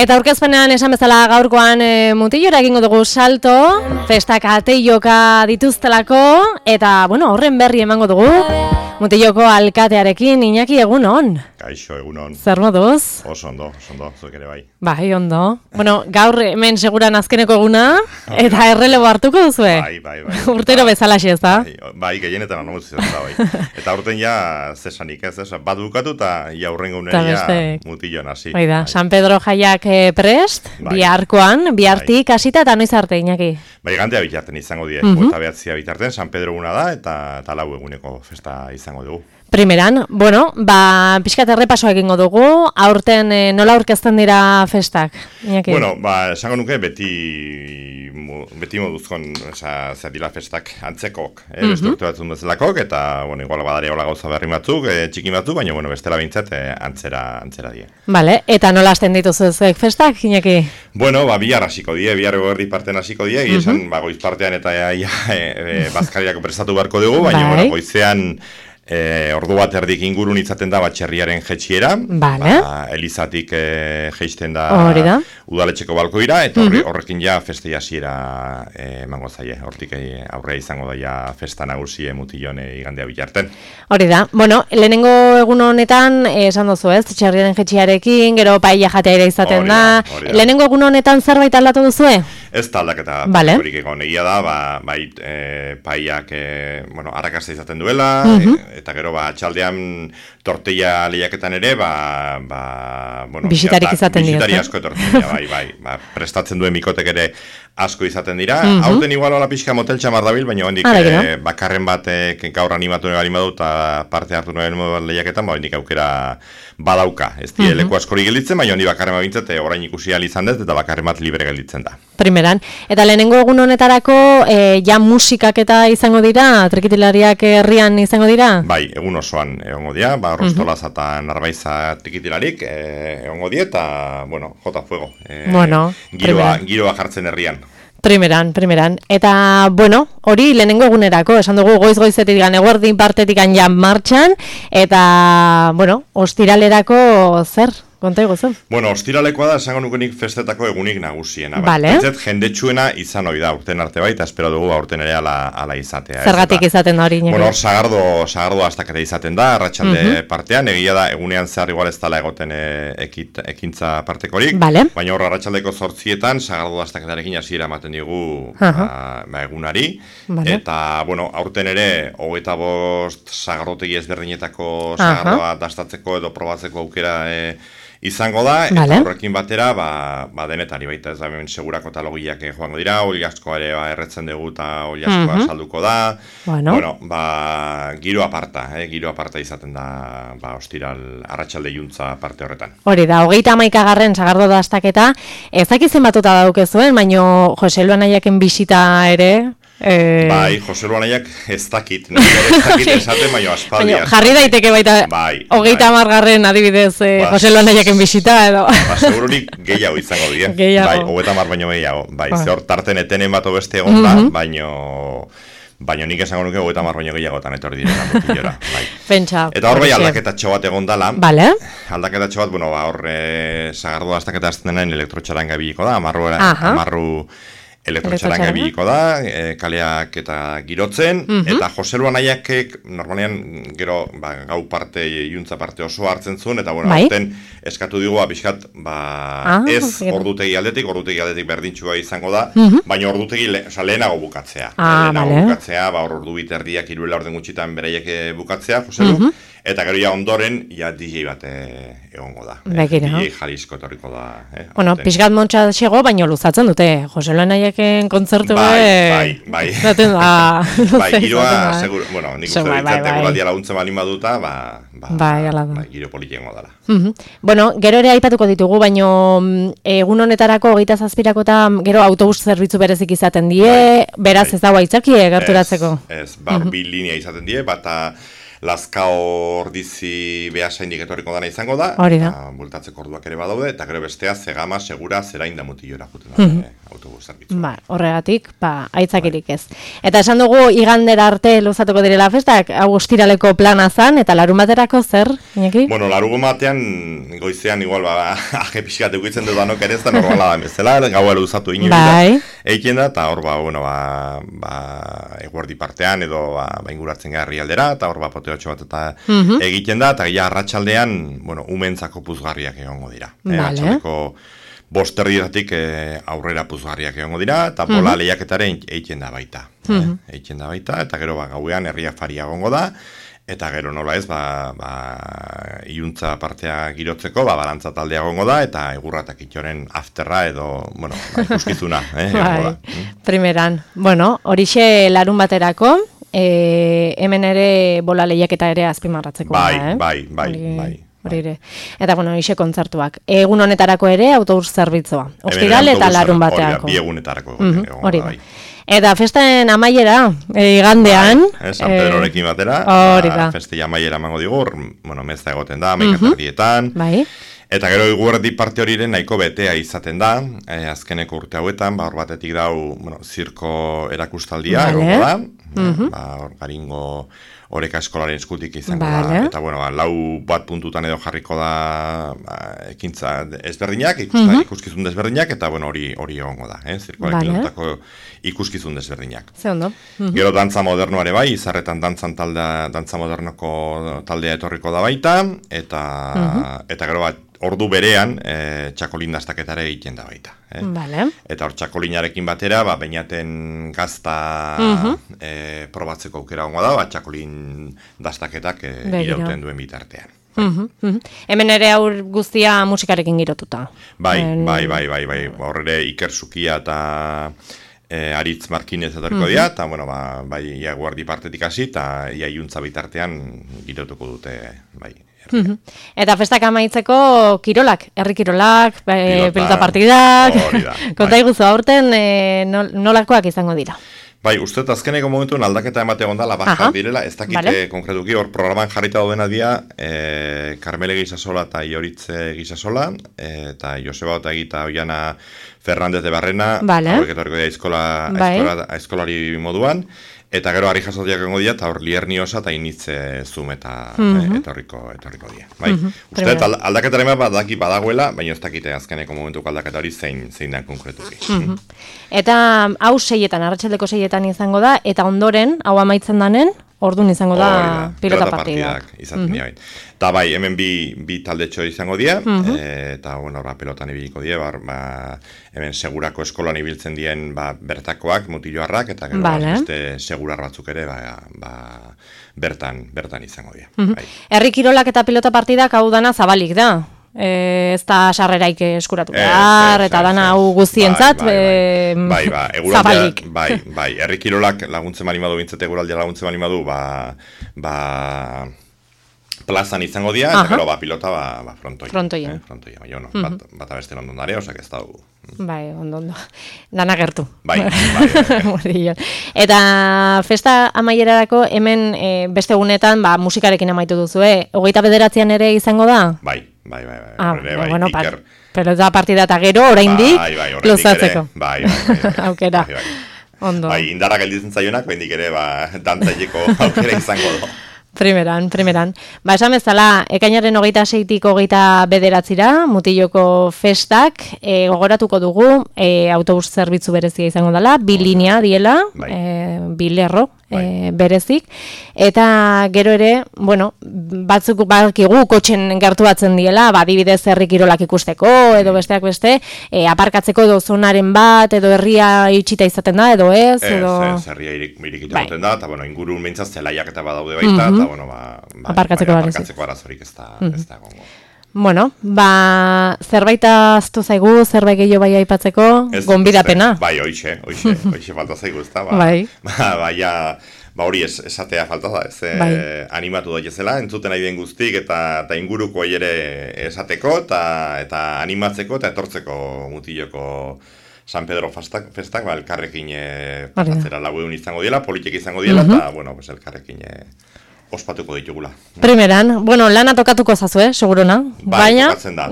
Eta aurkezpenean esan bezala gaurkoan mutilora egingo dugu salto, festak ateioka dituztelako, eta bueno, horren berri emango dugu. Mutiloko alkatearekin, Iñaki, egunon. Kaixo, egunon. Zer moduz? Oso ondo, zuek ere bai. Bai, ondo. Bueno, gaur hemen seguran azkeneko eguna, eta errelebo hartuko duzue? Bai. Urtero bezalaxe ez da? Bai, gehienetan anumuz izan da, bai. Eta urten ja, zesanik ez, bat bukatu eta ja urrengo uneria mutilloan hasi. Bai da, San Pedro jaiak prest, biharkoan, bihartik hasita eta noiz arte, Iñaki? Bai, gantea bitarten izango die, eta behatzia bitarten, San Pedro eguna da, eta lau eguneko festa izango dugu. Primeran, bueno, pixkat errepasoa egingo dugu, aurten nola aurkezten dira festak? Iñaki? Bueno, esango nuke beti moduzkon, zer dira festak antzekok, beste urte batzun bezalakok, eta, bueno, igual badare hola gauza berri batzuk, txikin batzuk, baina, bueno, bestela bintzat antzera die. Vale, eta nola hasten dituzu zuek festak, Iñaki? Bueno, bihar hasiko die, bihar eguerdi parten hasiko die, esan, goiz partean eta bazkariak prestatu beharko dugu, baina, bueno, goizean ordu bat erdik ingurun izaten da txerriaren jetxiera, Elizatik jeisten da udaletxeko balkoira, eta horrekin ja feste hasiera emango zaie, hortik aurrea izango daia festa nagusie mutillone igandea bilarten. Hori da, bueno, lehenengo egun honetan, esan duzu ez, txerriaren jetxiarekin, gero paella jatea ere izaten da, lehenengo egun honetan zerbait aldatu duzue? Ez da aldaketa horik egon, egia da, paellak arrakasta izaten duela, eta gero txaldean tortilla lehiaketan ere, bisitarik izaten dira. Bisitari asko etortzen dira, prestatzen duen mikotek ere asko izaten dira. Hauten igual hola pixka motel txamar dabil, baina hondik bakarren batek gaur animatu nahi badu eta parte hartu nahi lehiaketan, hondik aukera badauka. Ez die leku askori gelditzen, baina hondik bakarren babintzat orain ikusi izan dut eta bakarren bat libre gelditzen da. Primeran. Eta lehenengo egun honetarako ja musikak eta izango dira, trikitilariak herrian izango dira? Bai, egun osoan egongo dira, Rostolaz eta Narbaiza trikitilarik egongo dira eta, bueno, jota fuego. Giroa jartzen herrian. Primeran. Eta, bueno, hori lehenengo egunerako, esan dugu goiz-goizetik eguerdin partetik ja martxan, eta, bueno, ostiralerako zer? Konta iguzen? Bueno, ostiralekoa da, esango nukenik festetako egunik nagusiena. Baitzet, jendetsuena izan hori da, urten arte baita, espero dugu aurten ere ala izatea. Zergatik izaten da hori? Bueno, sagardo astaketa izaten da, arratsalde partean, egia da, egunean zehar igual ez dala egoten ekintza partekorik, baina hor arratsaldeko 8etan, sagardo astaketarekin hasiera ematen digu egunari, eta, bueno, aurten ere, 25 sagardotegi ezberdinetako sagardoa dastatzeko edo probatzeko aukera izango da, eta horrekin batera, denetari baita ez da, segurako talogiak joango dira, oliaskoa ere erretzen dugu eta oliaskoa salduko da, giro aparta izaten da, ostiral arratsalde juntza parte horretan. Hori da, 31. sagardo dastaketa, ezak izen batuta daukezuen, baino Jose Luan Aiaken bisita ere, Bai, Jose Luan Aiak ez dakit esaten, baina aspaldi. Jarri daiteke baita, 30. adibidez, Jose Luan Aiaken bisita, edo. Segururik gehiago izango dira. Bai, 30 baino gehiago. Bai, zehor tarten etenen bat beste egon da, baina nik esango nuke 30 baino gehiagotan etorri direla mutillora. Pentsa. Eta hor bai aldaketatxo bat egon dala. Aldaketatxo bat, hor sagardo dastaketa azten denain elektrotxaranga biliko da, amarru elektrotxaranga biliko da, kaleak eta girotzen, eta Jose Luan Aiakek normalean gero gau parte, juntza parte oso hartzen zuen, eta bueno, aurten eskatu digu pixkat, ez ordutegi aldetik berdintxua izango da, baina ordutegi lehenago bukatzea. Lehenago bukatzea, ordu biterdiak iruela orden gutxitan beraiek bukatzea, Jose Lu, eta gero ja ondoren, DJ bat egongo da. DJ Jalisco etorriko da. Bueno, pixkat montxa xego, baina luzatzen dute, Jose Luan Aiaken kontzertu bai. Giroa, seguro, bueno, nik uste ditzate guraldia laguntzen balin baduta, giro politiengo dela. Bueno, gero ere aipatuko ditugu, baina egun honetarako 27 eta gero autobus zerbitzu berezik izaten die, beraz ez dago aitzakie gerturatzeko. Ez, bi linea izaten die, bata Lazkao ordizi behasaindik etorriko dana izango da, bultatzeko orduak ere badaude, eta gero bestea Zegama, Segura, Zerain da Mutillora juten da, autobus zerbitzu. Horregatik, aitzakirik ez. Eta esan dugu, igandera arte luzatuko direla festak, agustiraleko plana zan, eta larun baterako zer, Iñaki? Bueno, larun batean, goizean igual, aje pixkat eukitzen dut danok ere ez da normala da bezala, gaua luzatu inoiz eiken da, eta hor eguerdi partean, edo inguratzen garri aldera, eta hor poteotxo bat eta egiten da, eta gila arratsaldean, umentzako puzgarriak egongo dira. Arratxaldeko 5:00 aurrera puzgarriak egongo dira, eta bola lehiaketaren egiten da baita. Egiten da baita, eta gero gauean herria faria egongo da, eta gero nola ez, iuntza partea girotzeko, balantza taldea egongo da, eta egurratak itxoren afterra edo, ikuskizuna. Primeran, horixe larun baterako, hemen ere bola lehiaketa ere azpimarratzeko. Bai. Eta ixe kontzertuak. Egun honetarako ere autobus zerbitzua. Ostiral eta larun bateako. Bi egunetarako. Hori da. Eta festen amaiera, igandean. San Pedrorekin batera. Festi amaiera emango digur, mezta egoten da, 11:00. Eta gero eguerdi parte horiren nahiko betea izaten da, azkeneko urte hauetan, hor batetik dau, zirko erakustaldia, egongo da, hor garingo oreka eskolaren eskutik izango da, eta lau bat puntutan edo jarriko da ekintza ezberdinak, ikuskizun desberdinak, eta hori egongo da, zirkoarekin lotako ikuskizun desberdinak. Ze ondo. Gero dantza modernoare bai, Izarretan dantza modernoko taldea etorriko da baita, eta gero ordu berean txakolin dastaketare egiten da baita. Eta hor txakolinarekin batera, beinaten gazta probatzeko aukera gongo da, txakolin dastaketak irauten duen bitartean. Hemen ere aur guztia musikarekin girotuta. Bai, horre Iker Zukia eta Aritz Markinez etorriko dira, eta ia guardi partetik hasi, eta ia iuntza bitartean girotuko dute, bai. Eta festak amaitzeko kirolak, herri kirolak, pelota partidak, konta iguzu aurten nolakoak izango dira? Bai, uste azkeneko momentuen aldaketa emate gondala bajar direla, ez dakite konkretuki, hor programan jarrita daudena dira Carmele Gisasola eta Ioritze Gisasola, eta Joseba Otagita Oiana Fernández de Barrena, hauek etorriko dira aizkolari moduan, eta gero harri jasotiak egongo dira, eta hor Lierni-Osa eta Initze Zum eta etorriko dira. Uste, aldaketaren bat daki badagoela, baina ez dakite azkeneko momentuko aldaketa hori zein den konkretuki. Eta hau 6etan, arratsaldeko 6etan izango da, eta ondoren, hau amaitzen danen, orduan izango da pilota partidak. Izaten dira. Eta bai, hemen bi taldetxo izango dira, eta pelotan ibiliko dira, hemen Segurako eskolan ibiltzen dien bertakoak, mutilloarrak, eta gero beste Segurar batzuk ere bertan izango dira. Herri kirolak eta pilota partidak hau dana zabalik da. Ez da sarreraik eskuratu behar, eta dana hau guztientzat zabalik. Bai, herri kirolak laguntzen bali madu, bintzete eguraldia laguntzen bali madu, plazan izango dira, eta gero pilota frontoien. Bat abeste ondon dare, osak ez da dugu. Bai, ondo. Dana gertu. Bai. Eta festa amaierarako hemen beste egunetan musikarekin amaitu duzue. 29an ere izango da? Bai. Pelota partida eta gero, oraindik luzatzeko. Bai. Aukera. Ondo. Bai, indarra gelditzen zaionak, bendik ere dantzaileko aukera izango do. Primeran. Esan bezala, ekainaren 26tik 29 Mutilloko festak gogoratuko dugu autobus zerbitzu berezia izango dela, 2 linea diela, 2 lerro berezik, eta gero ere, batzuk bakigu kotxen gertuatzen diela, adibidez herri kirolak ikusteko, edo besteak beste, aparkatzeko edo zonaren bat, edo herria itxita izaten da, edo ez, edo... Ez, herria irikita goten da, eta ingurun behintzat zelaiak eta badaude baita, eta aparkatzeko arazorik ez da gongo. Zerbait aztu zaigu, zerbait gehiago bai aipatzeko, gonbidapena. Bai, hoxe falta zaigu, ez da. Hori esatea falta da, animatu daitezela, entzuten nahi den guztik, eta inguruko ere esateko, eta animatzeko, eta etortzeko Mutilloko San Pedro festak, elkarrekin pasatzera 4 egun izango diela, politik izango diela, eta, elkarrekin ospatuko ditugula. Primeran, bueno, lana tokatuko zazu, segurona? Baina... tokatzen da,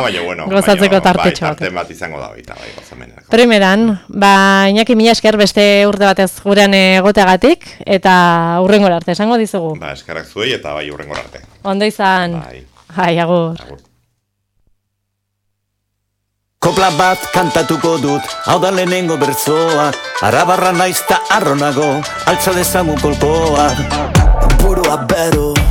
baina, bueno... Gozatzeko tartetxo. Tarte bat izango da baita, gozamenerako. Primeran, Iñaki, mila esker beste urte batez gurean egoteagatik, eta hurrengora arte, esango dizugu. Eskerrak zuei eta bai hurrengora arte. Ondo izan. Bai, agur. Kopla bat kantatuko dut, hau da lehenengo bertzoa, arabarra naizta arronago, altza dezamu kolkoa. Burua bero,